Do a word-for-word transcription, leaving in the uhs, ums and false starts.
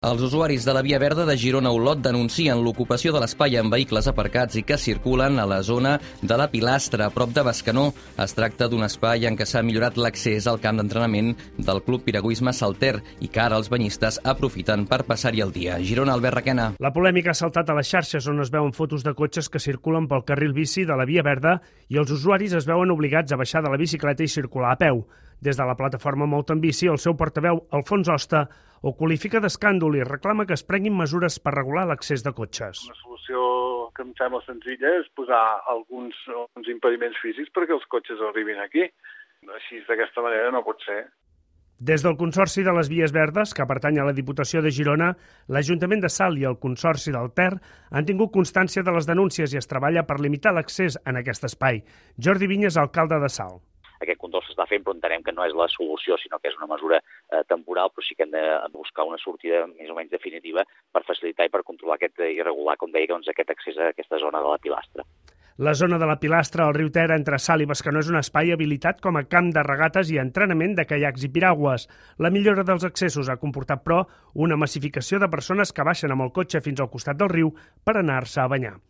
Els usuaris de la Via Verda de Girona-Olot denuncien l'ocupació de l'espai amb vehicles aparcats i que circulen a la zona de la Pilastra, a prop de Bescanó. Es tracta d'un espai en què s'ha millorat l'accés al camp d'entrenament del Club Piragüisme Salter i que ara els banyistes aprofiten per passar-hi el dia. Girona, Albert Requena. La polèmica ha saltat a les xarxes on es veuen fotos de cotxes que circulen pel carril bici de la Via Verda i els usuaris es veuen obligats a baixar de la bicicleta i circular a peu. Des de la plataforma Molt en Bici, el seu portaveu, Alfons Hosta, ho qualifica d'escàndol i reclama que es prenguin mesures per regular l'accés de cotxes. Una solució que em sembla senzilla és posar alguns, alguns impediments físics perquè els cotxes arribin aquí. Així, d'aquesta manera, no pot ser. Des del Consorci de les Vies Verdes, que pertany a la Diputació de Girona, l'Ajuntament de Salt i el Consorci del Ter han tingut constància de les denúncies i es treballa per limitar l'accés en aquest espai. Jordi Vinyes, alcalde de Salt. Aquest control s'està fent, però entenem que no és la solució, sinó que és una mesura eh, temporal, però sí que hem de buscar una sortida més o menys definitiva per facilitar i per controlar aquest, i regular, com deia, doncs, aquest accés a aquesta zona de la Pilastra. La zona de la Pilastra al riu Ter entre Salt i Bescanó és un espai habilitat com a camp de regates i entrenament de caiacs i piragües. La millora dels accessos ha comportat, però, una massificació de persones que baixen amb el cotxe fins al costat del riu per anar-se a banyar.